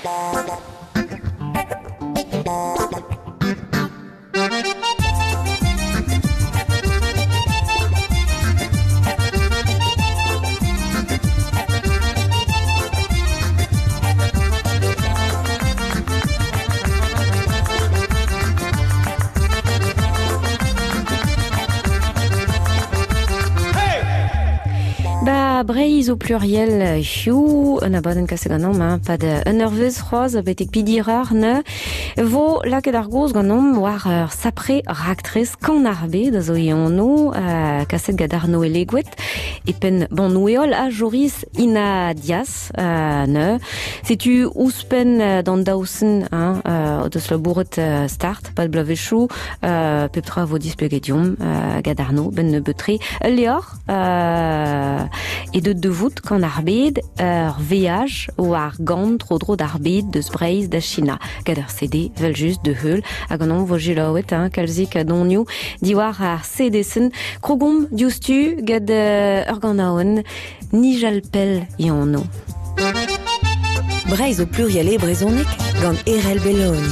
Ba Breizh au pluriel hiziv, un abadenn kaset ganeomp hein, pad un eurvezh c'hoazh betek pidirar ne vo lakaet ar gaoz ganeomp war ur sapre raktres Kan ar Bed a zo e anv, kaset gant Arno Elegoet e penn Bannoù-Heol ha Joris Ina Dias ne. Setu ouzhpenn d'an daousen hein, o deus labouret start pad bloavezhioù, pep tra vo displeget deomp gant Arno benn nebeut-tre. Ul levr e deut da vout Kan ar Bed, ur veaj war gant tro-dro d'ar bed deus Breizh da China, gant ur CD vel-just de heul, hag an anv vo selaouet hein, kalzik a donioù diwar ar CD-sen. Krogomp diouzhtu gant ur ganaouenn Nijal pell e anv. Breizh au pluriel e brezhoneg gant Erell Belloni.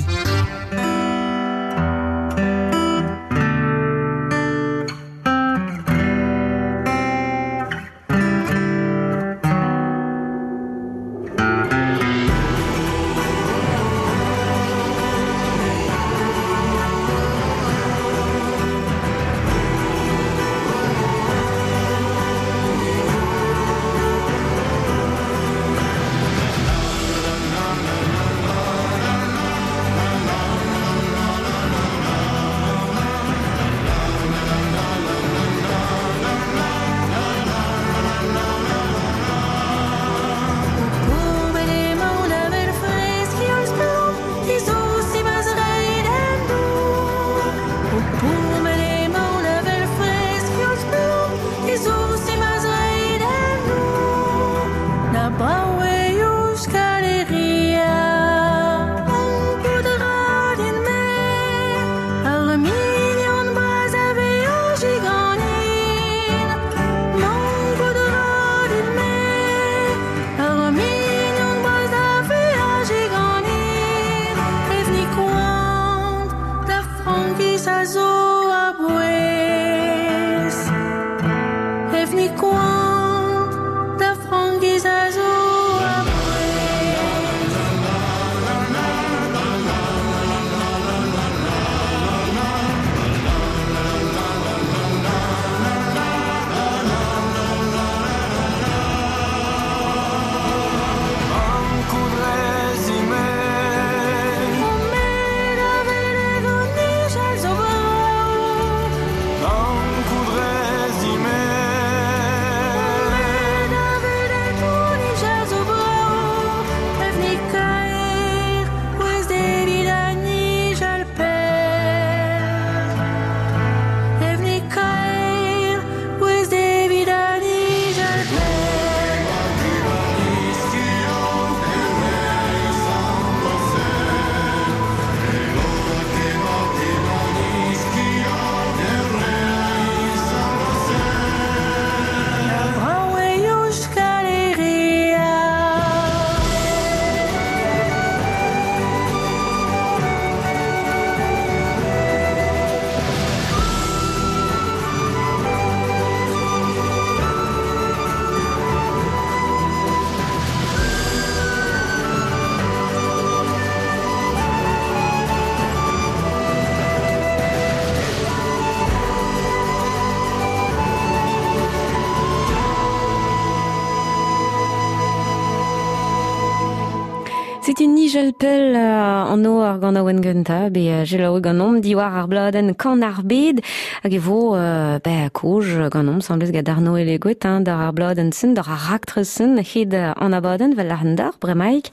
Setu nijel pell an ar ganaouenn gentañ, bet selaouet ganeomp diwar ar bladenn Kan ar Bed, hag e vo ben kozh ganeomp semblez gant Arno Elegoet hein, d'ar ar bladenn-sen, d'ar ar raktres-sen hed an abadenn vel ar d'ar bremaik.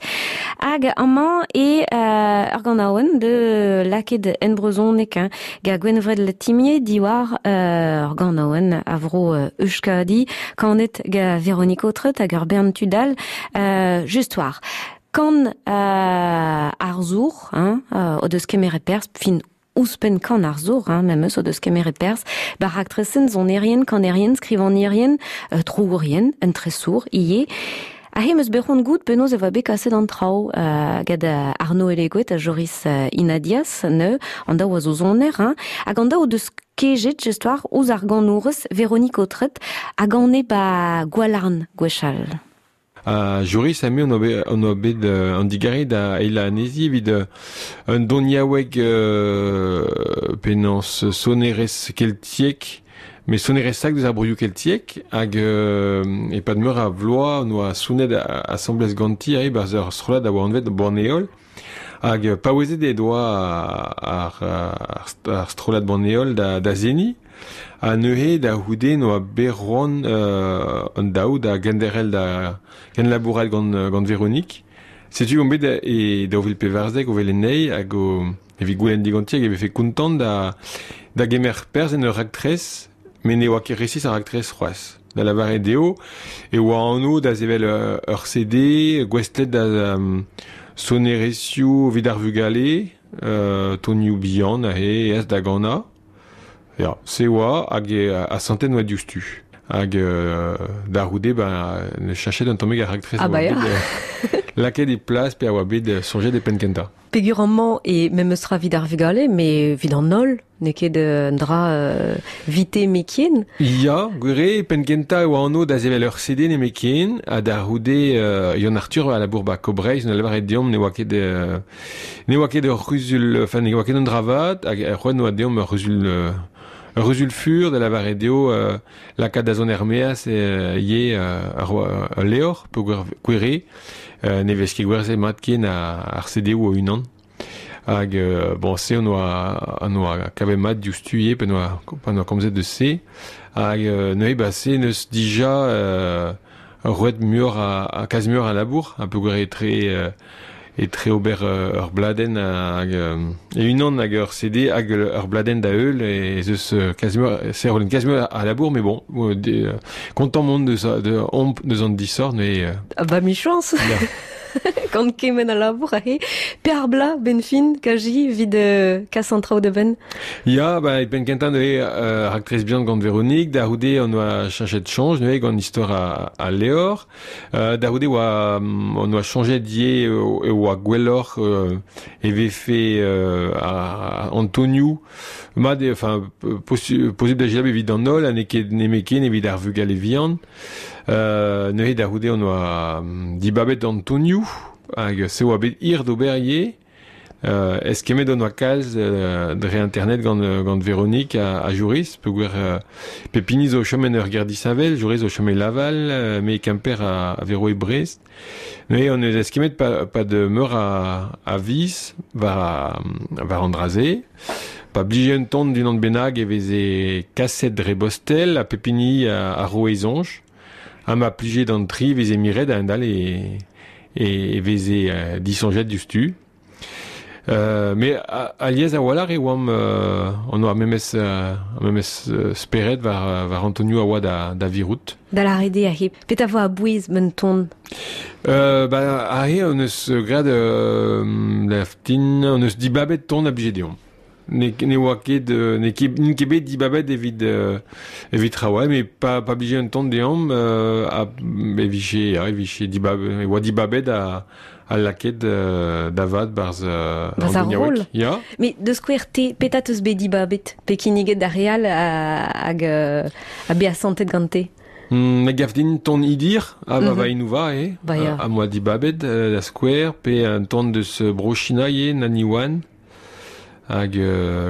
Hag amañ e ur ganaouenn de lakaet en brezhoneg hein, gant Gwenvred Letimier diwar ur ganaouenn a vro Euskadi, kanet gant Véronique Autret hag ur bern tud all, just war. Kan arzour hein, o deus kemeret perzh fin ouzhpenn kan arzour hein, memes o deus kemeret perzh ba raktresenn sonerien, kanerien, skrivagnerien, troourien, un tresour ivez. Ahe 'm eus bet c'hoant goût penaos e oa bet kaset an traoù gant Arnaud Elegoet ha Joris Inadias, neu, an daou a zo soner, hein, hag an daou o deus kejet just war ouzh ar ganourez Véronique Autret a gane ba Gwalarn gwechall. Ha Joris ha me on oa bet an digarez da eilañ anezhi evit un doniaoueg penaos sonerezh keltiek, met sonerezh sak deus ar broioù keltiek hag e-pad meur a vloaz on oa sonet asambles ganti e-barzh ur strollad a oa anvet Banheol. Hag paouezet he doa ar strollad Banheol da seniñ. Ha neuze da c'houde 'noa bet c'hoant an daou da genderc'hel da kenlabourat gant Véronique. Setu omp bet e 2014 o welet anezhi hag o evit goulenn diganti hag e vefe kontant da gemer perzh en ur raktres, met ne oa ket resis ar raktres c'hoazh. Da lavaret eo e oa anv da sevel ur CD gouestlet da sonerezhioù evit ar vugale, tonioù bihan aze aes da ganañ. Ya, se oa hag asantet oa diouzhtu. Hag da c'houde, ben, ne chachet un tammig ar raktres ah a oa bah ya. bet lakaet e plas pe a oa bet soñjet e penn-kentañ. Peger amañ e memes tra evit ar vugale, met evit an holl, n'eo ket un dra vite mekien. Ya, gwir eo, penn-kentañ e oa anv da sevel ur CD nemetken, ha da c'houde Yann Arthur a labour ba Coop Breizh, en lavaret deomp ne oa ket ne oa ket ur c'huzul, enfin ne oa ket un dra vat, hag c'hoant oa deomp ur c'huzul fur da lavaret eo lakaat da zont er-maez ivez ul levr peogwir gwir eo ne vez ket gwerzhet mat ken ar CD-où o-unan. Hag bon, se on oa kavet mat diouzhtu ivez pa 'noa komzet deus se. Hag neuze ba se n'eus dija roet muioc'h a kalz muioc'h a labour ha peogwir etre ober ur bladenn hag e-unan hag ur CD hag ur bladenn da heul ez eus kalz muioc'h a labour mais bon kontant mont deus omp deus an disoc'h mais Ah bah michañs gant kement a labour aze. Pe ar bloaz, benn fin, kaji, evit kas an traoù da benn? Ya, ba, e penn kentañ neuze raktres bihan gant Véronique, da c'houde on oa cheñchet soñj neuze gant istor al levr. Da c'houde oa on oa soñjet ivez e oa gwelloc'h e vefe an tonioù mat eo, enfin posubl da selaou evit an holl ha n'eo ket nemetken evit ar vugale vihan. Neuze da c'houde on oa dibabet an tonioù hag se oa bet hir d'ober ivez. Eskemmet on oa kalz dre internet gant Véronique ha Joris peogwir pep hini zo o chom en ur gêr disheñvel. Joris zo o chom e Laval, me e Kemper ha Véro e Brest. Neuze on eus eskemmet pad meur a viz war an dra-se. Pa blije un ton d'unan bennak e veze kaset dre bostel ha pep hini a roe e soñj. Ha ma plije d'an tri e veze miret a-hend-all e veze disoñjet diouzhtu. Mais alies a-walc'h e oamp on oa memes memes spered war Antonio a oa da virout. Da lâret eo aze, petra vo a-bouez un ton? Ba aze hon eus graet laftin, hon eus dibabet ton a blije deomp. Ne oa ket n'eo ket n'int ket bet dibabet evit evit traoù mais pa blije un ton deomp a e vije e vije dibab e oa dibabet ha lakaet da vat barzh Barzh ar roll. Ya. Mais deus skouer te, petra teus bet dibabet pe kinniget d'ar re all hag ha bet asantet gante? Me gav din ton Idir ha va va eo Ba ya. ha moa dibabet da skouer pe un ton deus Bro-China ivez Nani Wan. Hag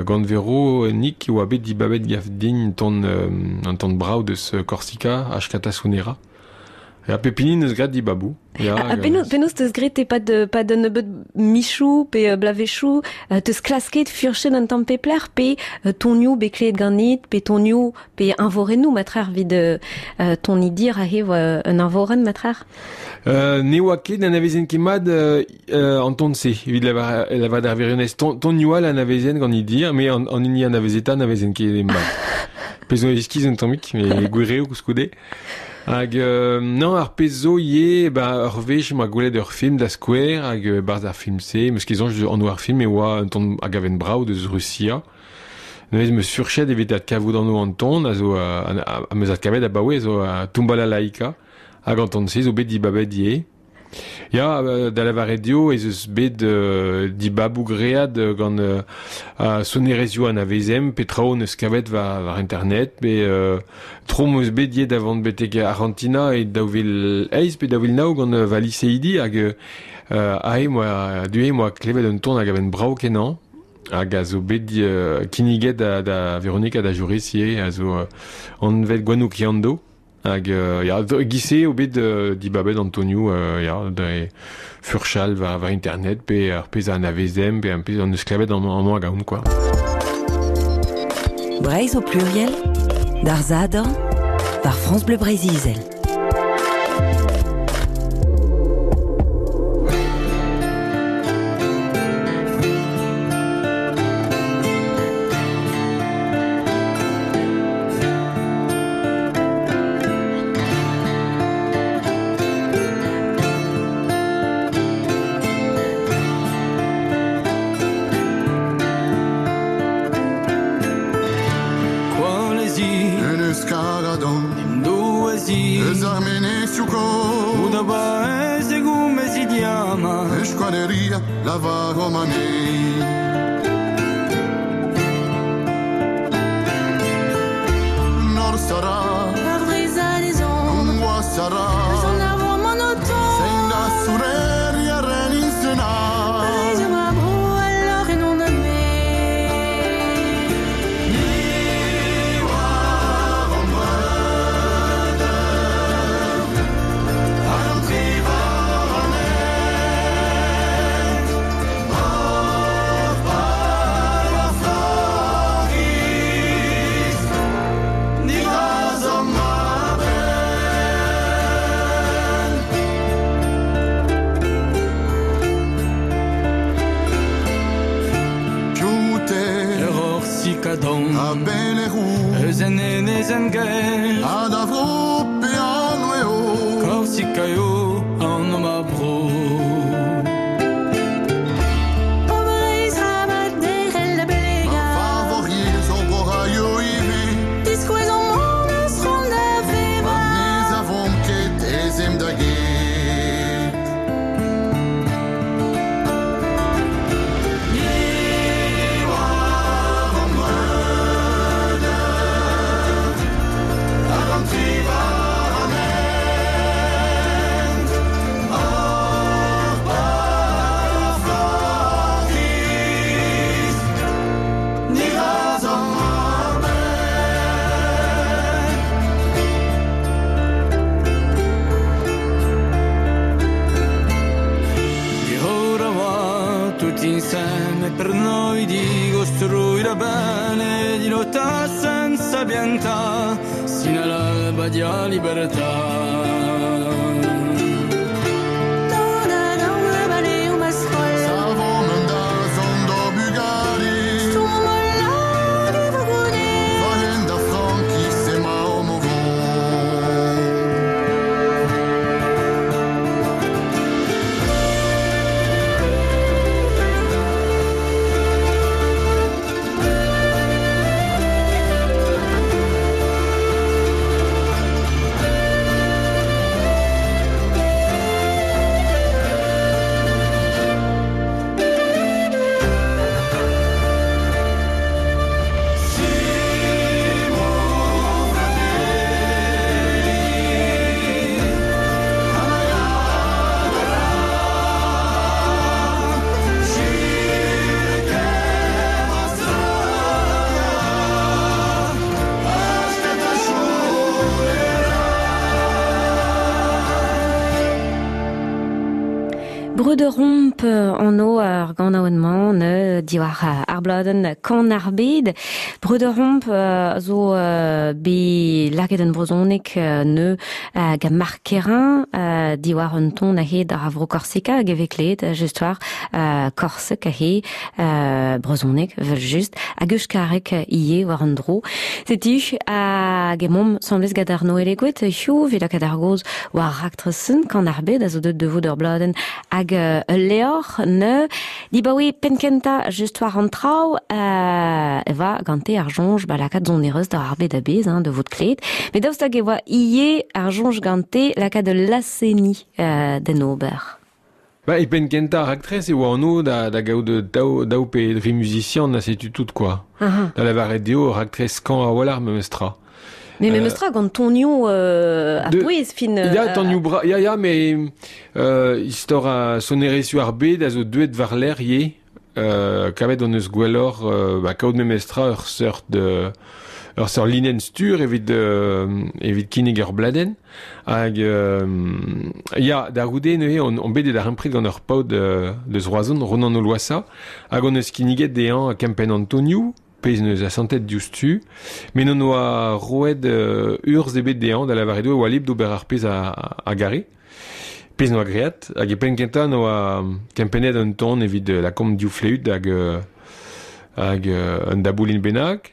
gant Vero Nick e oa bet dibabet gav din un ton brav deus Korsika, Ashkata Sunera. Ya, pep hini neus graet dibaboù. Ya, ha penaos teus graet e-pad pad un nebeud michoù pe bloavezhioù teus klasket furchet un tamm pep lec'h pe tonioù bet klevet ganit pe tonioù pe eñvorennoù matrec'h evit ton idir aze oa un eñvorenn matrec'h? Ne oa ket n'anavezen ket mat an ton-se evit lavaret ar wirionez. Tonioù all anavezen gant idir mais an hini anavezetañ n'anavezen ket mat. Pezh zo iskis un tammig, mais gwir eo koulskoude. Hag non, ar pezh zo ivez, ba ur wech 'm boa gwelet ur film da skouer hag 'barzh ar film-se, 'm eus ket soñj anv ar film e oa un ton a gaven brav deus Rusia. Neuze 'm eus furchet evit adkavout anv an ton a zo am eus adkavet abaoe zo Tumbalalaika. Hag an ton-se zo bet dibabet ivez. Ya, da lavaret eo ez eus bet dibaboù great gant sonerezhioù anavezemp pe traoù hon eus kavet war internet pe tro 'm eus bet ivez da vont betek Arc'hantina e 2008 pe 2009 gant va liseidi hag aze 'moa du-hont 'moa klevet un ton hag a ven brav-kenañ hag a zo bet kinniget da Véronique ha da Joris ivez a zo anvet Gwennou Kiando. Hag ya, e-giz-se eo bet dibabet an tonioù ya, dre furchal war internet pe ar pezh a anavezemp pe ar pezh hon eus klevet amañ hag ahont quoi. Breizh au pluriel, d'ar Sadorn, war France Bleu Breizh-Izel. Breuderomp anv ar ganaouenn-mañ ne diwar ar bladenn Kan ar bed. Breuderomp zo bet lakaet en brezhoneg ne gant Marc Kerrain diwar un ton a-hed ar vro Korsika hag e vez klevet just war Korsek ahe brezhoneg evel-just hag euskareg ivez war an dro. Setu hag emaomp 'sambles gant Arnaud Elegoed hiziv evit lakaat ar gaoz war raktres-sen Kan ar bed a zo deuet da vout ur bladenn hag ul levr ne dibaoe penn-kentañ just war an tra traoù e va gante ar soñj ba lakaat sonerezh da ar bed a-bezh, hein, da vout klevet. Met daoust hag e oa ivez ar soñj gante lakaat ul laz-seniñ d'en ober? Ba, e penn kentañ ar raktres e oa anv da gaout daou pe dri muzisian ha setu tout quoi. Da lavaret eo ur raktres skañv a-walc'h memestra. Mais memestra gant tonioù a-bouez fin. Ya, tonioù bra, ya, ya, mais istor a sonerezhioù ar bed a zo deuet war-lerc'h ivez. Kavet hon eus gwelloc'h ba, kaout memestra ur seurt linenn stur evit kinnig ur bladenn. Hag ya, da c'houde neuze on bet e darempred gant ur paotr deus Roazhon, Ronan Oloassa, hag hon eus kinniget dezhañ kempenn an tonioù, pezh neus asantet diouzhtu, met n'on oa roet urzh ebet dezhañ da lavaret eo e oa libr d'ober ar pezh a gare. Pezh n'oa graet, hag e penn kentañ n'oa kempennet un ton evit lakaomp div fleüt hag un daboulin bennak,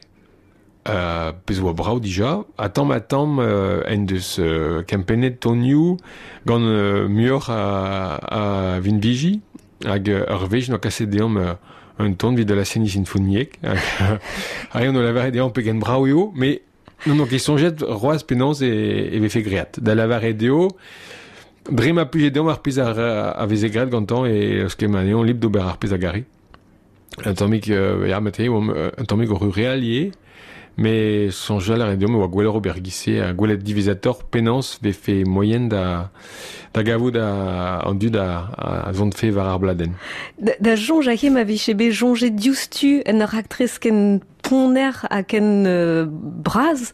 pezh oa brav dija, ha tamm-ha-tamm en deus kempennet tonioù gant muioc'h a vinviji, hag ur wech n'oa kaset deomp un ton evit la seniñ sinfoniek, hag on o lavaret dezhañ pegen brav eo, met n'on ket soñjet c'hoazh penaos e vefe graet. Da lavaret eo, dre ma plije deomp ar pezh a veze graet gantañ e eus ket ma eo libr d'ober ar pezh a gare. Un tammig, ya, met eo un tammig o rureal ivez, met soñjal a rae deomp e oa gwelloc'h ober giz-se ha gwelet diwezhatoc'h penaos vefe moaien da gavout an dud a zontfe war ar bladenn. Da soñj aze ma vije bet soñjet diouzhtu en ur raktres ken ponner ha ken bras,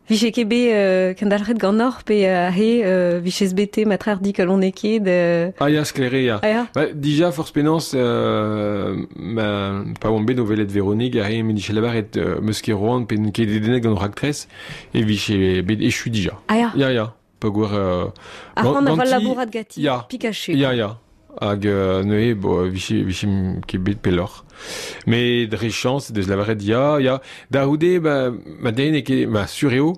vije ket bet kendalc'het ganeoc'h pe aze vijez bete matrec'h dikalonekaet ket. Ah ya, sklaer eo, ya. Ah ya. Ba, dija forzh penaos pa oamp bet o welet Véronique aze me dije lavaret 'meus ket roan pe n'on ket dedennet gant o raktres e vije bet echu dija. Ah ya. Ya, ya. Peogwir Ar c'hoant a va labourat ganti, ya. Pikachu. Ya, ya. Hag neuze, bo, vije ket bet pelloc'h. Mais dre chañs, deus lavaret ya, ya. Da c'houde, ba, ma den n'eo ket, ma sur eo,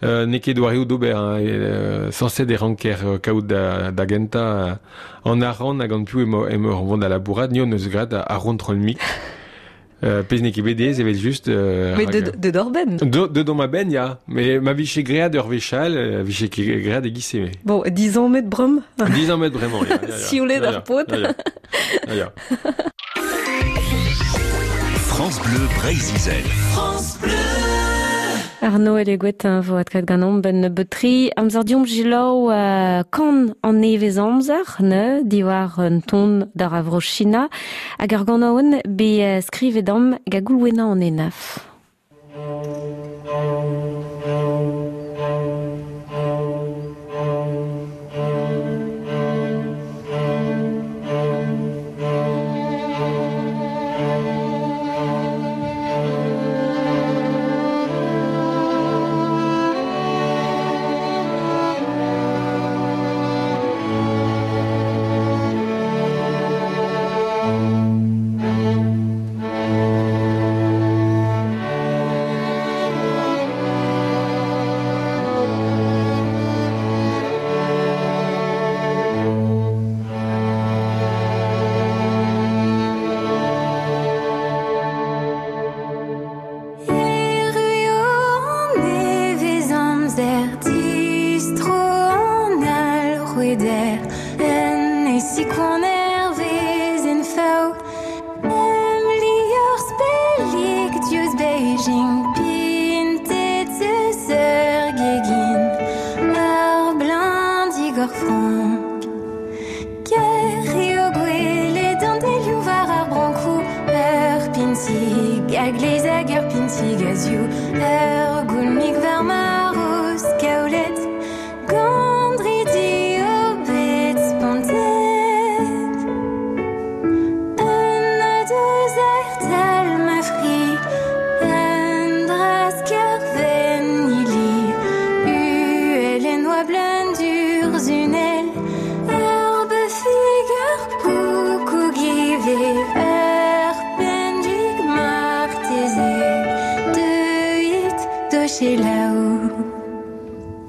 n'eo ket doareoù d'ober. Hein, sañset e ranker kaout da gentañ an arc'hant hag an piv emañ o vont da labourat. Ni hon eus graet ar c'hontrol-mik. Pezh n'eo ket bet aes evel-just. Mais de d'or-benn. De ma benn, ya. Mais ma vije graet ur wech all, vije ket graet e-giz-se. Bon, 10 ans met brem. 10 ans met bremañ, ya. Sioulet ar paotr. Ya, ya. France Bleu Breizh-Izel. France Bleu. Arnaud Elegoet vo adkavet ganeomp ben nebeut-tre amzer diomp selaou kan an nevez amzer ne diwar un ton d'ar a vro China hag ar ganaouenn bet skrivet am gant Goulwena an Henaff. Erru eo an nevez-amzer, distro an alc'hweder, en e sikoan hervez en fav. Em liorzh pellik diouzh Beijing, pintet eus ur gegin, ar bleuñv digor frank. Kaer eo gwelet an delioù war ar brankoù, ur pintig a-gleiz hag ur pintig a-zioù, ur goulmig war ma roz kaolet, gant dridi eo bet spontet. Un nadoz tal ma fri, un drask ur venili, uhel en oabl un durzhunell, ur beufig, ur koukoug ivez, ur pennig marteze, deuit d'o selaou.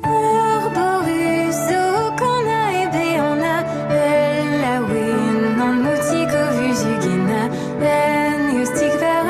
Ur borus zo kanañ e beanañ, ul laouen an moutig o vuzugennañ, un eostig war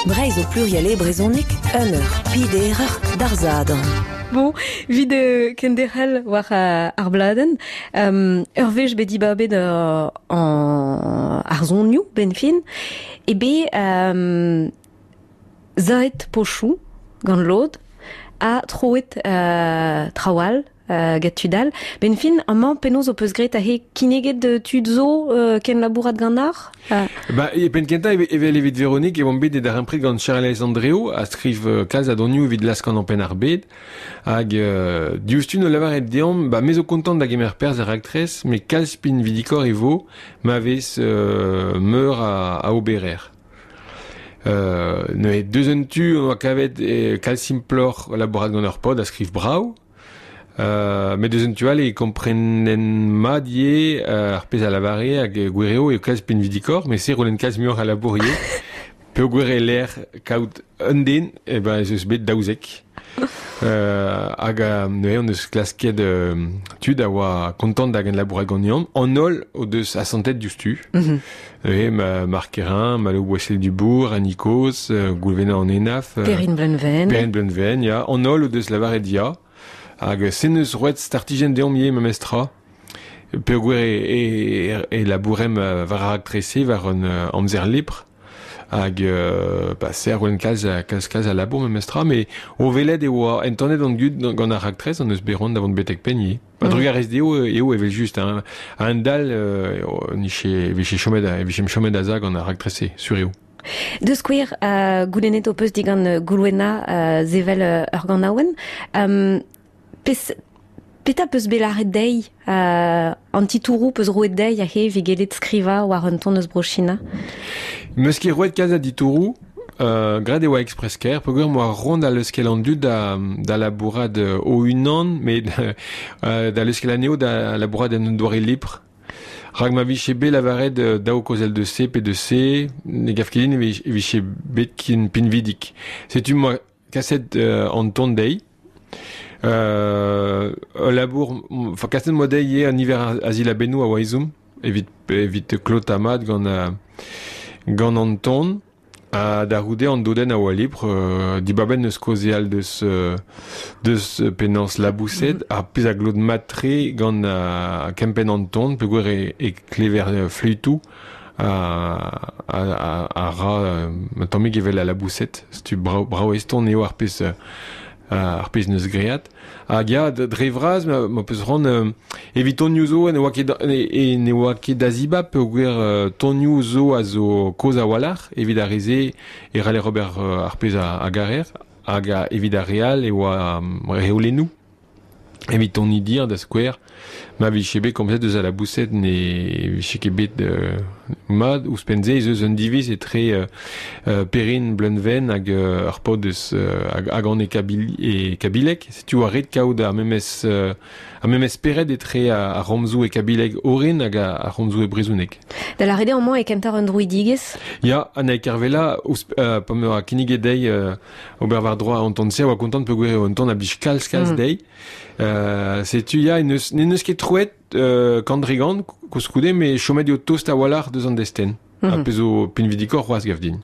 Breizh o pluriel e brezhoneg, un eur, piderer, d'ar Sadorn. Bon, 'vit kenderc'hel war ar bladenn, ur wech bet dibabet ar sonioù 'benn fin, eo bet saet pochoù gant lod ha troet traoù all get tud all. Benn fin, amañ penaos ho peus graet aze kinniget tud zo kenlabourat ganeoc'h? Ba, e penn kentañ evel evit Véronique e oamp bet e darempred gant Charlez Andreo a skriv kalz a donioù evit laskan penn ar bed. Hag diouzhtu no lavaret deomp, ba me zo kontant da gemer perzh er raktres, met kalz pinvidikoc'h e vo ma vez meur a oberer. Neuze deus un tu on oa kavet kalz simploc'h labourat gant ur paotr a skriv brav. Met deus un tu all e komprenen mat ivez ar pezh a lavare hag gwir eo eo kalz pinvidikoc'h, met se rolen kalz muioc'h a labour ivez. Peogwir e-lec'h kaout un den, eh ben ez eus bet 12. Hag neuze hon eus klasket tud a oa kontant da genlabourat ganeomp. An holl o deus asantet diouzhtu. Neuze Marc Kerrin, Malo Boissel-Dubourg, Annie Coz, Goulvena an Henaff, Perrine Bleunven. Perrine Bleunven, ya. An holl o deus lavaret ya. Hag se neus roet startijenn deomp ivez memestra. Peogwir e labouremp war ar raktres-se, war un amzer lipr. Hag ba se a roen kalz kalz kalz a labour memestra, met o welet e oa entanet an dud gant ar raktres an eus bet c'hoant da vont betek penn ivez. Ba drugarez dezho eo evel-just hein. A-hend-all e vije chomet e vijemp chomet aza gant ar raktres-se, sur eo. Da skouer, goulennet ho peus digant Goulwena sevel ur ganaouenn. Petra peus bet lâret dezhi? An titouroù peus roet dezhi aze evit gellet skrivañ war un ton eus Bro-China? Meus ket roet kalz a ditouroù. Graet e oa express-kaer peogwir m'oa ront da leuskel an dud da labourat o-unan, met da leuskel anezho da labourat en un doare lipr. Rak ma vije bet lavaret daou kaozel de C pe de C, ne gav ket din e vije bet ken pinvidik. Setu m'oa kaset an ton dezhi. Ul labour, enfin kaset 'moa dezhi ivez an niver a zilabennoù a oa ezhomm evit klotañ mat gant an ton. Ha da c'houde an dodenn a oa libr, dibabet n'eus kaozeal deus penaos laboused, ar pezh a glot mat-tre gant kempenn an ton peogwir e klever fluitoù a ra un tammig evel al laboused. Setu brav eston eo ar pezh ar pezh 'neus graet. Hag ya, dre vras, ma peus c'hoant, evit tonioù zo ne oa ket ne oa ket da zibab peogwir tonioù zo a zo kozh a-walc'h. Evit ar re-se e c'haller ober ar pezh a garer. Hag evit ar re all e oa reolennoù. Evit ton dir da skouer, ma vije bet komzet eus al laboused ne vije ket bet mat. Ouzhpenn-se ez eus un diviz etre Perrine Bleunven hag ur paotr eus hag an e Kabileg. Setu oa ret kaout ar memes ar memes spered etre ar c'homzoù e kabileg orin hag ar c'homzoù e brezhoneg. Da lâret eo amañ e kentoc'h un droidigezh? Ya, Anna Kervella, pa 'm kinniget dezhi ober war-dro an ton-se a oa kontant peogwir eo un ton a blij kalz kalz dezhi. Setu ya, n'en deus ket troet kant dre gant koulskoude, met chomet eo tost a-walc'h deus an destenn. Ha pezh zo pinvidikoc'h c'hoazh gav din.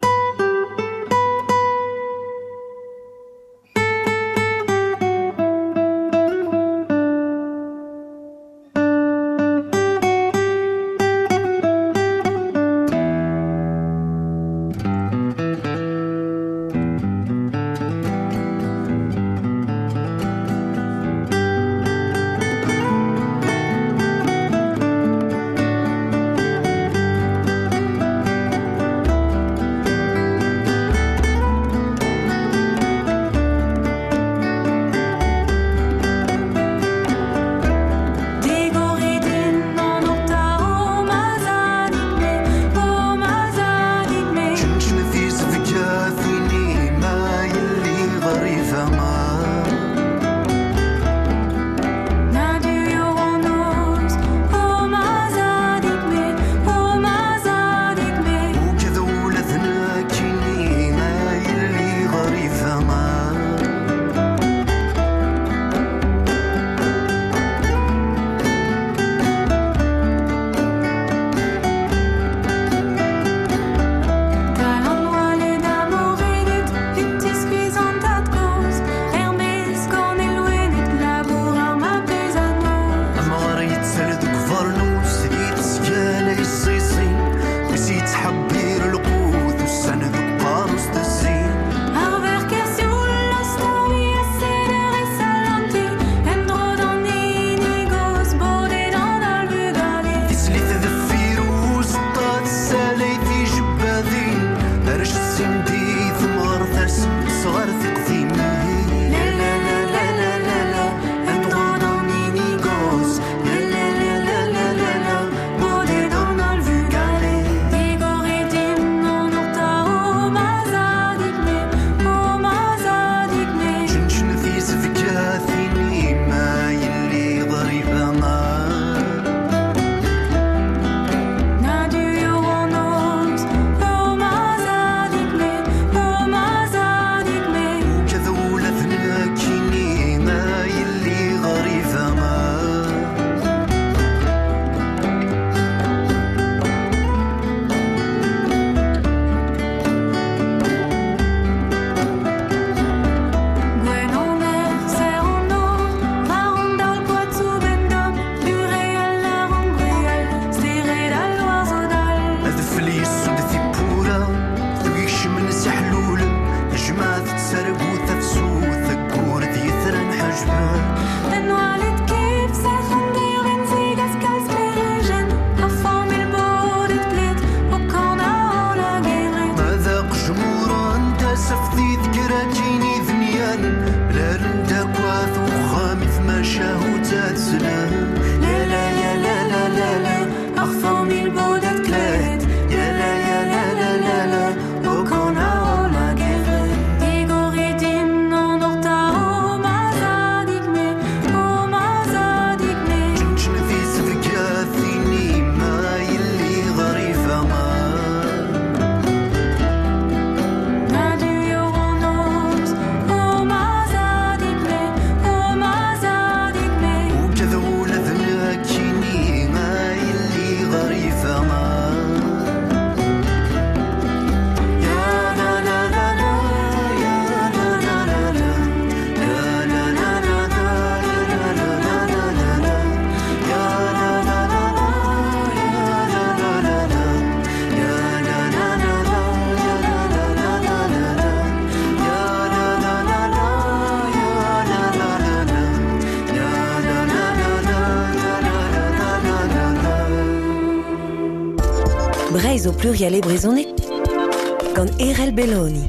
اللي يسود في بورا ذويش من سحلول جماعة تسرقو تفسو ثقور ذي ثرن حجبان Den كيف ساخن ديرن زيغاس kalz perijen A famil bodet bled O kana ola geret مذاق جمورا انت سفذي ذكراتيني ذنيان بلا رندا كواث وخامث ما شاهو تاتسلان لا لا يا لا لا لا لا Ar famil bodet kled يا لا يا لا لا لا لا O kana ola geret Digoridin an orta o mazadig me O mazadig me جنجن في سفقاثيني ما يلي غريفة ما Na du an O mazadig me O mazadig me وكذول ذناكيني ما يلي غريفة ما يا لا لا لا لا يا لا لا لا لا لا لا لا لا لا لا لا لا لا يا لا لا لا لا يا لا لا لا لا يا لا لا لا لا يا لا لا لا لا يا لا لا لا لا يا لا لا لا لا يا لا لا لا لا لا لا لا لا Breizh o pluriel e brezhoneg gant Erel Belloni.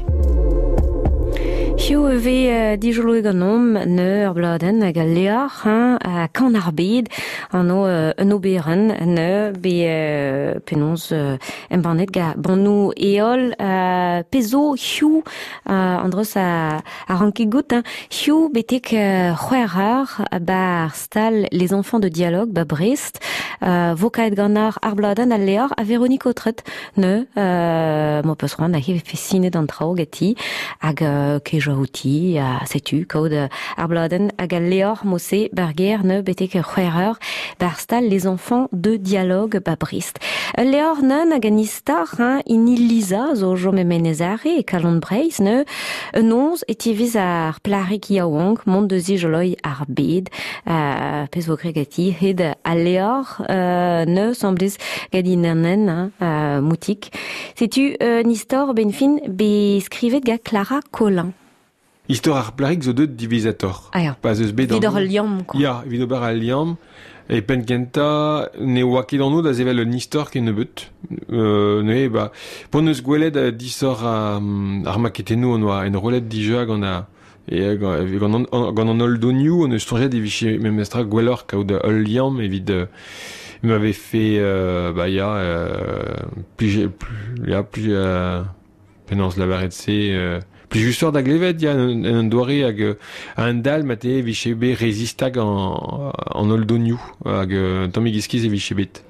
Hiziv e vez dijoloet ganeomp neu ur bladenn hag al leor hein, a kan ar bed an o un oberenn neu be penaos embannet ga bannoù eol pezo hiziv an dreus a ranket gout hein, hiziv betek c'hwec'h eur bar stal Les Enfants de Dialogue ba Brest vo kaet ganar ar bladenn al leor a Véronique Autret neu mo peus c'hoant a he fesinet an traoù ganti hag kejañ outi a setu kaout ar bladenn hag al leor mose barger neu betek c'hwec'h eur bar stal Les Enfants de Dialogue ba Brest. Ul leor neun hag an istor hein, ini Lisa zo jom e Menezare e kalon Breizh neu un onz e tiviz ar plarik yaouank mont deus joloi ar bed pezh vo greg gati hed al leor neu semblez gant inanen hein, moutik. Setu un istor ben fin be skrivet ga Clara Collin. Istor ar plarik zo deut divizator. Ah ya. Pas eus bet Evit an ur liamm, quoi. Ya, evit ober al liamm. E penn kentañ ne oa ket an da sevel un istor ken nebeut. Neuze, ba, p'hon eus gwelet disoc'h ar maketennoù on oa enrollet dija gant a e gant gant an holl donioù on eus soñjet e vije memestra gwelloc'h kaout ul liamm evit m'avait fait bah ya plije ya plus penaos lavaret se pli justoc'h da glevet ya en un doare hag un dal mate e vije bet rezistag an holl donioù hag un tammig iskiz e vije bet.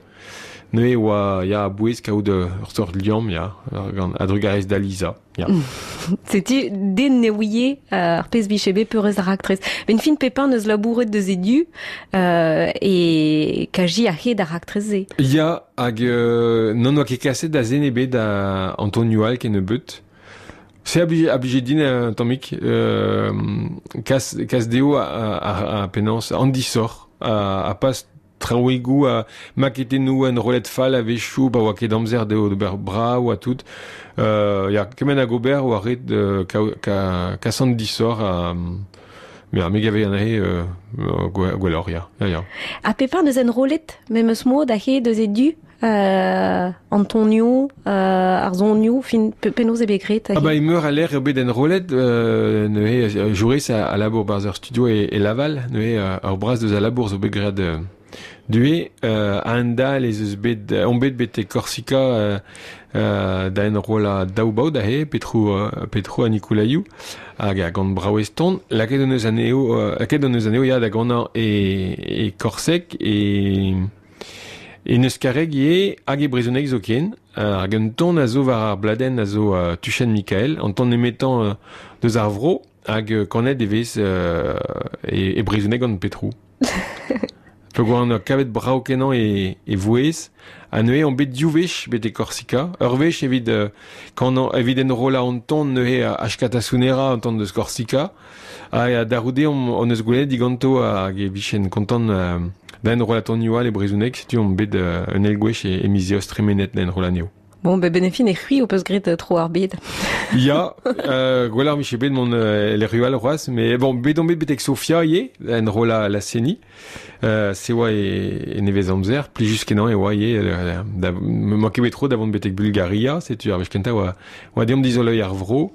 Neuze oa ya a-bouez kaout ur sort liamm ya gant a-drugarez da Lisa ya. Setu den ne ouie ar pezh vije bet peurez ar raktres. Ben fin Pepin neus labouret deus e du e kaji a hed ar raktres se. Ya hag non oa ket kaset da zen ebet da Antonio Al ken nebeut. Se a blije din un tammig kas deo a penaos an disoc'h a pas traoùigoù a maketennoù en rolet fall a-wechoù pa oa ket amzer dezho d'ober brav ha tout. Ya, kement hag ober oa ret kas an disoc'h a me a me gave anezhe gwelloc'h, ya. Ya, ya. Ha Pepin deus enrollet memes mod a he deus e du Antonio ar zonioù fin penaos e bet graet Ah ba emeur a l'air eo bet enrollet neuze Joris a labour barzh ur studio e Laval neuze ur braz deus a labour zo bet graet due a-hend-all ez eus bet on bet betek Korsika da enrollañ daou baot aze Petro ha Nikolaioù hag a gant brav eston lakaet hon eus anezho lakaet hon eus anezho ya da ganañ e Korseg e Neuskareg ivez hag e brezhoneg zoken hag un ton a zo war ar bladenn a zo Tuchenn Mikael an ton nemetañ deus ar vro hag kanet e vez e brezhoneg gant Petro. Peogwir on kavet brav kenañ e vouezh ha neuze on bet div wech betek Korsika ur wech evit kanañ evit enrollañ an ton neuze Askatasunera an ton deus Korsika ha da c'houde on eus gwelet diganto hag e vijen kontant da enrollañ tonioù all e brezhoneg setu on bet un eil gwech e miz Eost tremenet da enrollañ anezho. Bon, be benefin e c'hwi o peus gret tro ar bed. Ya, gwell ar miche bet mont le rual c'hoazh, mais bon, bet on bet betek Sofia ivez, en ro la seni. Se oa e nevez amzer, plijus kenañ e oa ivez, da, me ket bet tro da vont betek Bulgaria, setu ar wech kentañ oa deomp dizoloiñ ar vro,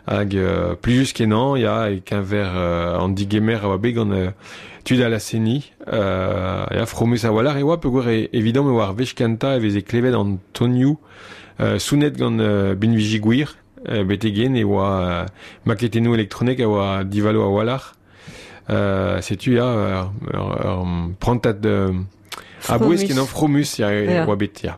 hag plijus kenañ, ya, e keñver an digemer a oa bet gant tud a la seni, ya, fromus a-walc'h e oa, peogwir evidom e oa ar wech kentañ e veze klevet an tonioù sounet gant binviji gwir, betegen e oa maketennoù elektronek a oa divalo a-walc'h. Setu ya ur prantad a-bouez kenañ fromus ya, e oa bet ya.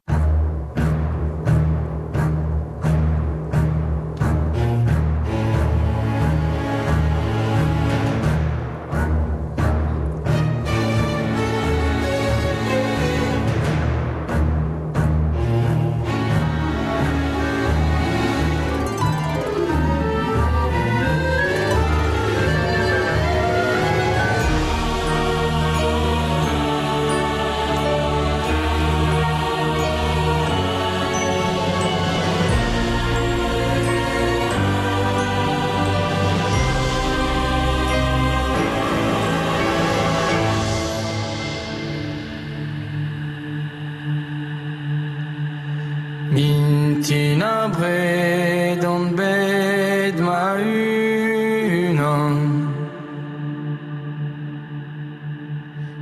Mintin abred on bet ma-unan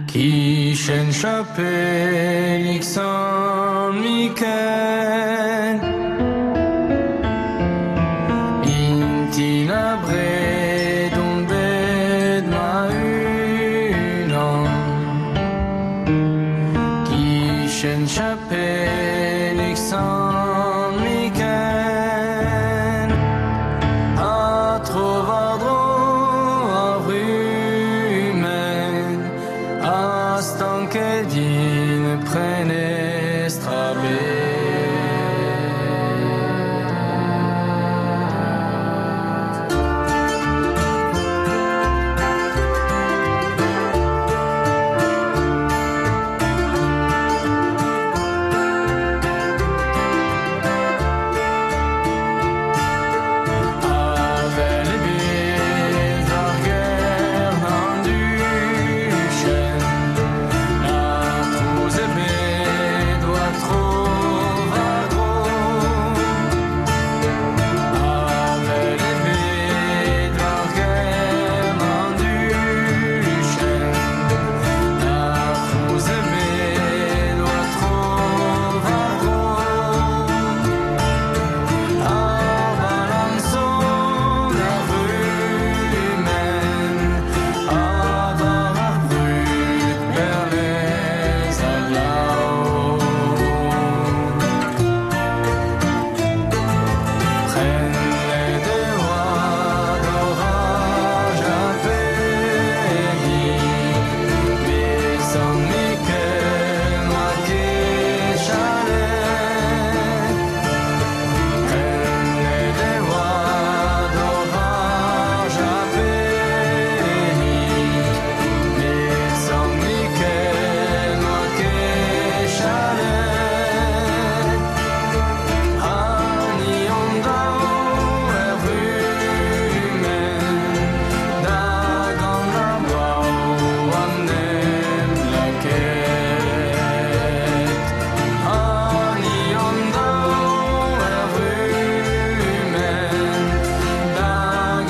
Kichen chapelig Sant Mikel Mintin abred on bet ma-unan Kichen chapelig Sant Mikel A tro war-dro ar rumen A stanket din prenestr a-bet. Avel ebet war gern an duchenn, na trouz ebet war tro war-dro. Avel ebet war gern an duchenn, na trouz ebet war tro war-dro. Ar balançon ar rumen, ha war ar brud perlez a glav. Prennet e oa d'oraj ar pegi, met Sant Mikel n'oa ket chalet. Prennet e oa d'oraj ar pegi, met Sant Mikel n'oa ket chalet. Ha ni hon daou er rumen, da gant ar brao an nem laket. Ha ni hon daou er rumen, da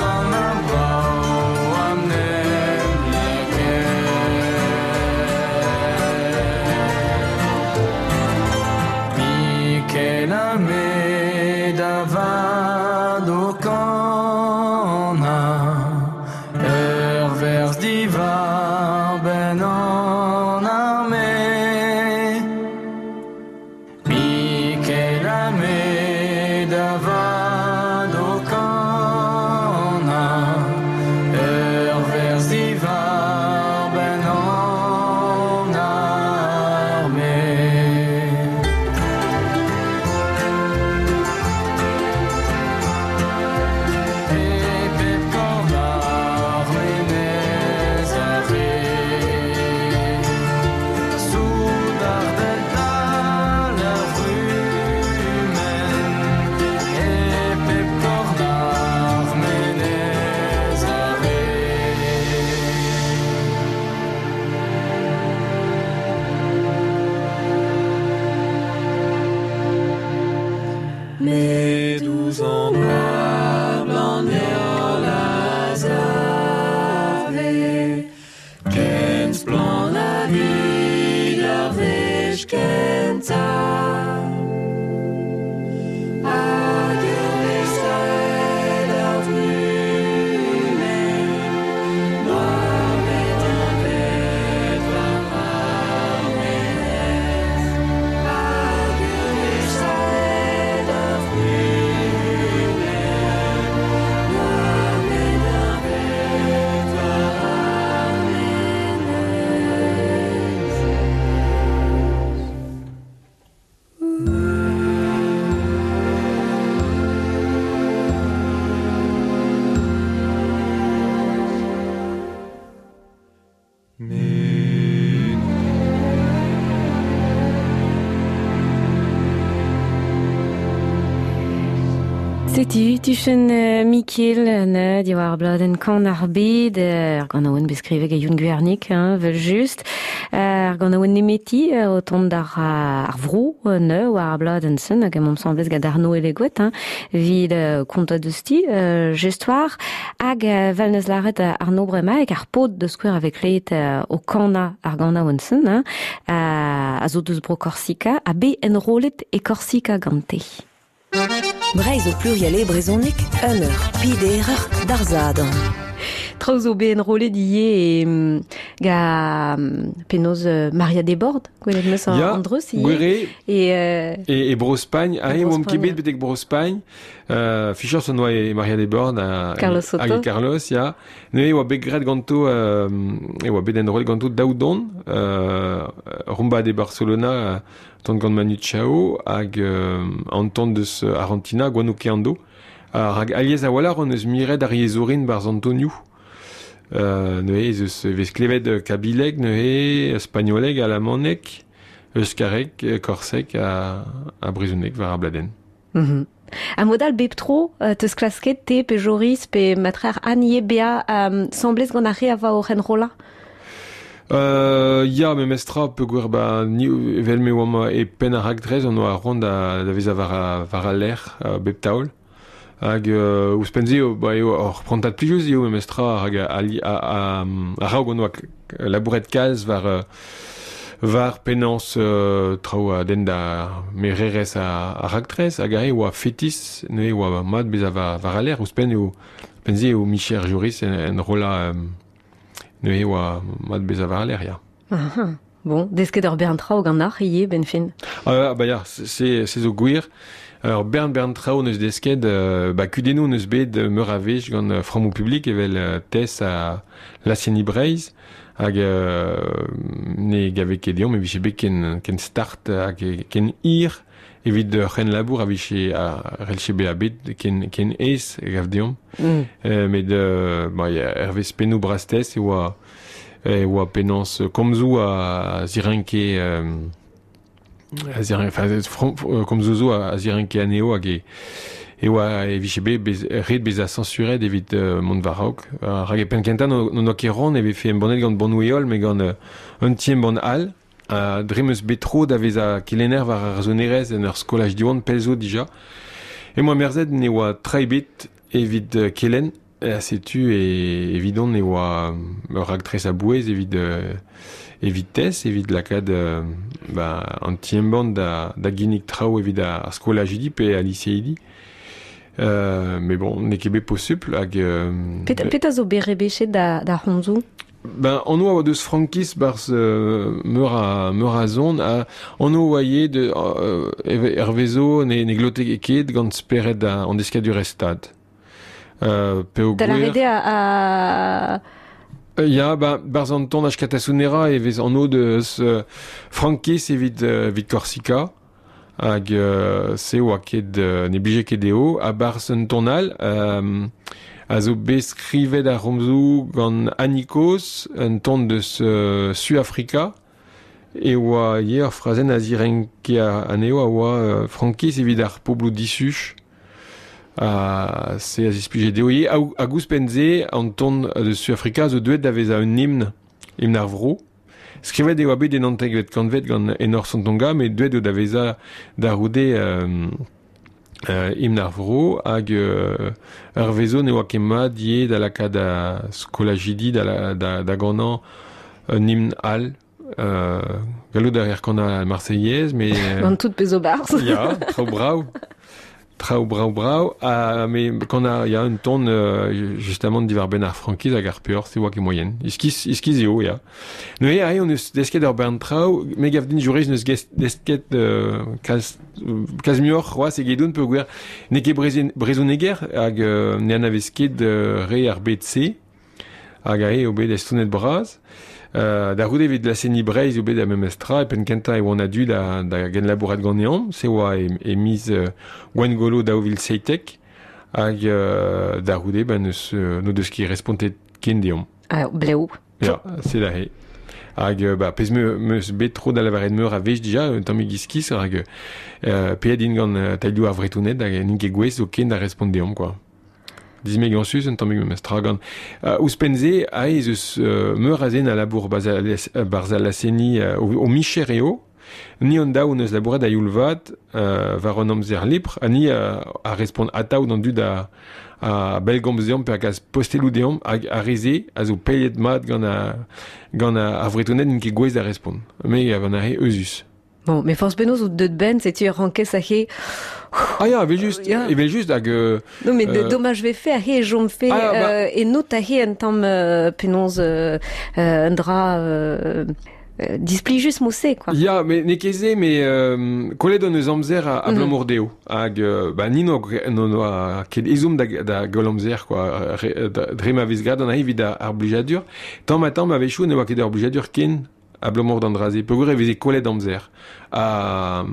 gant ar brao an nem laket. Mikel ha me da vad o kanañ, ur werz diwar benn an arme. Mikel ha me da vad o kanañ, ur werz diwar benn an arme. Met ouzh an oabl an heol a save, ken splann hag evit ar wech kentañ. Hag ur wech savet ar vrumenn, n'oa bet ebet war ar menez. Hag ur wech savet ar vrumenn, n'oa bet ebet war ar menez. Setu, tuchen Mikel ne diwar bladenn kan ar bed, ar ganaouenn bet skrivet gant Youn Gwernig, hein, vel just. Ar ganaouenn nemeti o tont d'ar ar vro ne war ar bladenn sen, hag emaomp semblez gant Arnaud Elegoet, hein, evit kontañ deus ti, gestoar, hag vel neus lâret Arnaud bremañ, hag ar paotr deus skouer a vez klevet o kanañ ar ganaouenn sen, hein, a zo deus bro Korsika, ha bet enrollet e Korsika gante. Breizh o pluriel e brezhoneg, un eur, peder eur, d'ar Sadorn. Traoù zo bet enrollet ivez e ga penaos Maria Desbordes, gwelet 'meus Ya, an dreuz ivez. Gwere E, e Bro-Spagn, aze e oamp ket Bro-Spagn, bet betek Bro-Spagn. Fichañs on oa e Maria Desbordes ha, Carlos Soto. hag e Carlos, ya. Neuze e oa bet graet ganto, e oa bet enrollet ganto daou don, Rumba de Barcelona, ton gant Manu Chao, hag an ton deus Argentina, Guanuqueando. Rak alies a-walc'h hon eus miret ar yezhourin barzh Antonioù. Neuze ez eus e vez klevet kabileg neuze, spagnoleg, alamaneg, euskareg, korseg ha brezhoneg war ar bladenn. Ha mod all bep tro, teus klasket te pe Joris pe matreer Anne ivez bezañ semblez gant ar re a oa oc'h enrollañ? Ya, memestra peogwir ba ni evel me oamp e penn ar raktres on oa c'hoant da vezañ war al lec'h bep taol. Hag ouzhpenn-se eo ba eo ur prantad plijus eo memestra hag a-raok on oa labouret kalz war war penaos traoù a denn da mererezh ar raktres hag aze e oa fetis neuze e oa mat bezañ war al lec'h. Ouzhpenn eo ouzhpenn-se eo micher Joris enrollañ neuze e oa mat bezañ war al lec'h, ya. Aha. Bon, desket ur bern traoù ganeoc'h ivez, benn fin. Ah bah ya, c'est zo gwir. Ur bern traoù neus desket, ba kudennoù neus bet meur a wech gant frammoù publik evel TES ha Lasienni Breizh hag ne gave ket deomp e vije bet ken start hag ken hir evit ur c'henlabour a vije a c'hellje bezañ bet ken aes e gav deomp. Met ba ya, hervez pennoù bras-TES e oa penaos komzoù a zirenke komzoù zo a zirenke anezho hag e oa e vije bet ret bezañ sañsuret evit mont war-raok. Rak e penn-kentañ n'on oa ket c'hoant e vefe embannet gant Bannoù-Heol met gant un ti-embann all. Dre 'm eus bet tro da vezañ kelenner war ar sonerezh en ur skolaj Diwan pell zo dija. Emañ merzet ne oa tra ebet evit kelenn. Setu evidon e oa ur raktres a-bouez evit evit TES, evit lakaat ba, an ti-embann da ginnig traoù evit ar skolajidi pe al liseidi. Mais bon, n'eo ket bet posupl hag Petra zo bet rebechet da c'homzoù? Ben, on oa deus frankiz barzh meur a zon ha on oa ivez de hervezo ne glote ket gant spered an deskadurezh stad. Peogwir... Da lâret eo a... Ya, ba, barzh an ton Askatasuna e vez anv deus frankiz evit Korsika hag se oa ket ne blije ket dezho ha barzh un ton all a zo bet skrivet ar c'homzoù gant Annie Coz, un ton deus Suafrika e oa ivez ur frazenn a zirenke anezho a oa frankiz evit ar pobloù disuj. Ha se a zisplije dezho ivez. Hag ouzhpenn-se, an ton deus Suafrika zo deuet da vezañ un himn, himn ar vro. Skrivet e oa bet en naontekvet kantved gant Enor Sontonga, met deuet eo da vezañ da c'houde Himn ar vro hag ur vezo ne oa ket mat ivez da lakaat skolajidi da ganañ un himn all. Gallout a reer kanañ ar Marseillaise, mais... Gant tout pezh zo barzh. Ya, traoù brav. Traoù brav-brav, ha me kanañ ya un ton justamant diwar-benn ar frankiz hag ar peoc'h, se oa ket moaien. Iskis, iskis eo, ya. Neuze aze hon eus desket ur bern traoù, me gav din Joris n'eus desket kalz, kalz muioc'h c'hoazh egedon peogwir n'eo ket brezhoneger hag ne anavez ket re ar bed-se. Hag aze eo bet estonet bras. Da c'houde evit laz-seniñ Breizh eo bet ar memes tra. E penn kentañ e oan a-du da genlabourat ganeomp. Se oa e miz Gwengolo 2017. Hag da c'houde ben n'eus n'o deus ket respontet ken deomp. Ah, blev. Ya, c'est aze. Hag ba, pezh meus bet tro da lavaret meur a wech dija, un tammig iskis, rak paeet int gant tailhoù ar Vretoned hag n'int ket gouest zoken da respont deomp, quoi. Dismegañsus un tammig memes tra gant ouzhpenn-se aze ez eus meur a zen a labour barzh al laz-seniñ o micher eo. Ni hon daou hon eus labouret a-youl vat war an amzer lipr ha ni a respont atav d'an dud a bellgomz deomp pe a gas posteloù deomp hag ar re-se a zo paeet mat gant gant ar Vretoned n'int ket gouest da respont. Me gav anezhe euzhus. Bon, mais forzh penaos out deut benn, setu e rankez aze... Ah ya, evel-just, Ya. evel-just hag Non, mais domaj vefe aze e chomfe Ah, bah. Eno aze un tamm penaos un dra displijus mod-se, quoi. Ya, mais n'eo ket se, mais kollet hon eus amzer abalamour dezho. Hag ba, ni n'o noa ket ezhomm da goll amzer, quoi. Dre ma vez graet an evit ar blijadur. Tamm ha tamm a-wechoù ne oa ket ur blijadur ken abalamour d'an dra-se peogwir e veze kollet amzer. Ha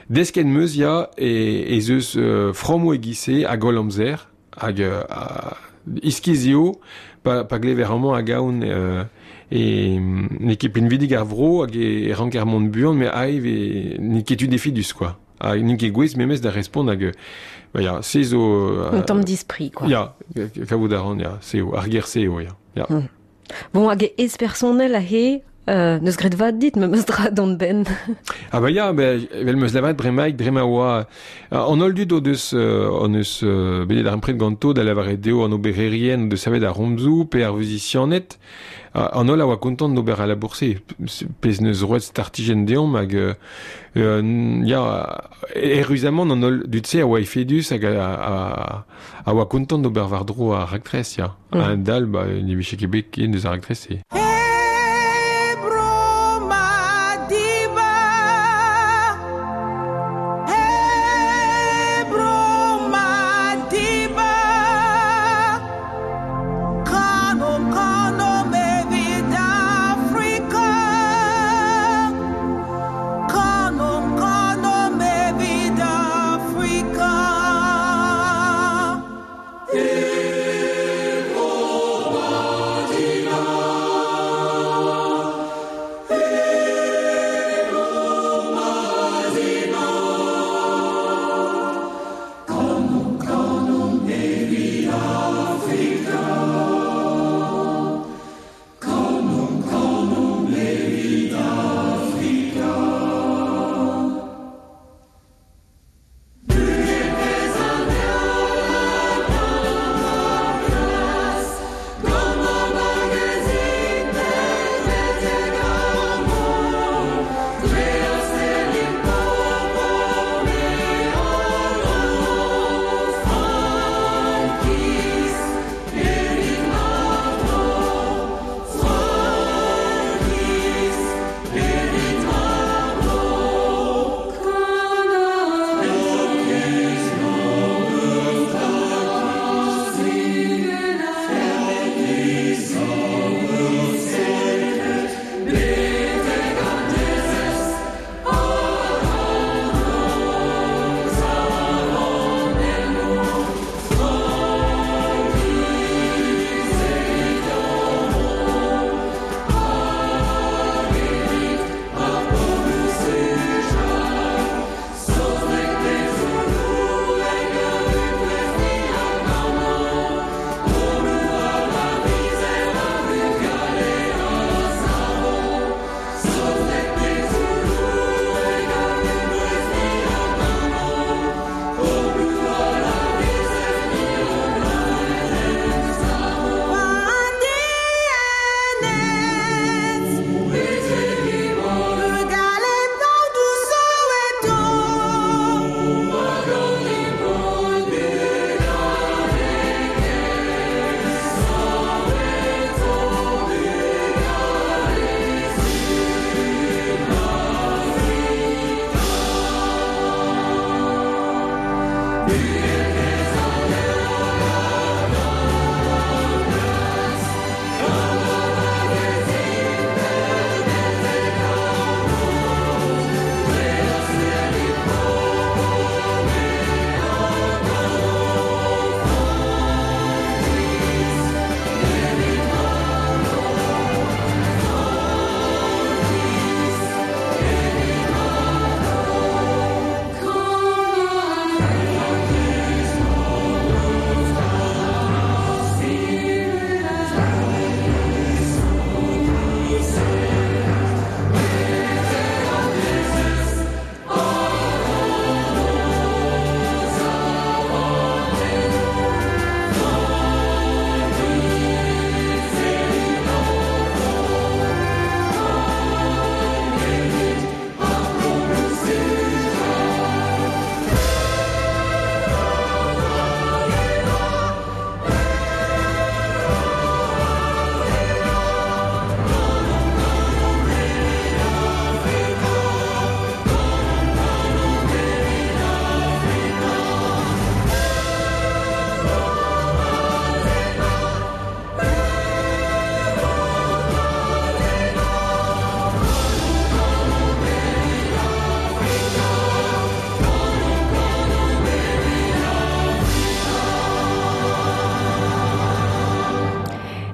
desket 'm eus ya ez eus frammoù e-giz-se a goll amzer hag iskis eo pa glever amañ hag aon e n'eo ket pinvidik ar vro hag e ranker mont buan met aze n'eo ket tu defidus quoi. Ha n'int ket gouest memes da respont hag ba ya, se zo Un tamm dispri quoi. Ya, kavout a ran ya, se eo, ar ger-se eo ya. Ya. Bon, hag ez personnel aze, n'eus graet vad dit memes dra d'an benn. Ah bah ya, ben, evel meus lavaret bremaik, dre ma oa an holl dud o deus hon eus bet darempred ganto da lavaret dezho an obererien o deus savet ar c'homzoù pe ar vuzisianed, an holl a oa kontant d'ober al labour-se, pezh neus roet startijenn deomp hag ya, eüruzamant an holl dud-se a oa efedus hag a oa kontant d'ober war-dro ar raktres, ya. A-hend-all, ba, ne vije ket bet ken deus ar raktres-se. Hey, bro Madiba. Hey, bro Madiba. Kanomp, kanomp evit Afrika. Kanomp, kanomp evit Afrika.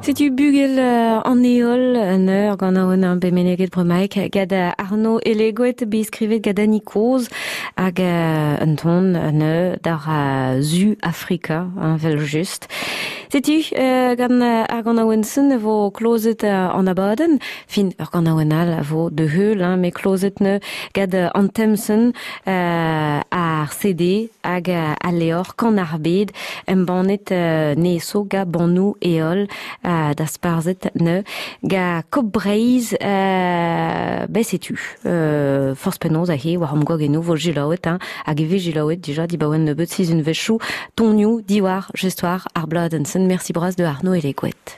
Setu bugel an heol un eur gant an an bemeneget bremaik gad Arno Elegoet bet skrivet gant Annie Koz hag un ton un eur d'ar zu Afrika, hein, vel just. Setu gant ar ganaouenn-sen e vo klozet an abadenn, fin ur ganaouenn all a vo de heul, hein, met klozet ne gant an temsen ar CD hag al levr Kan ar bed embannet neso ga bannoù heol da sparzhet ne ga Kop Breizh ben setu forzh penaos aze war am gwagennoù vo jilaouet hein, hag e vez jilaouet dija dibaoe nebeut sizhunvezhioù tonioù diwar just war ar bladenn-sen. Merci bras de Arnaud Elegoet.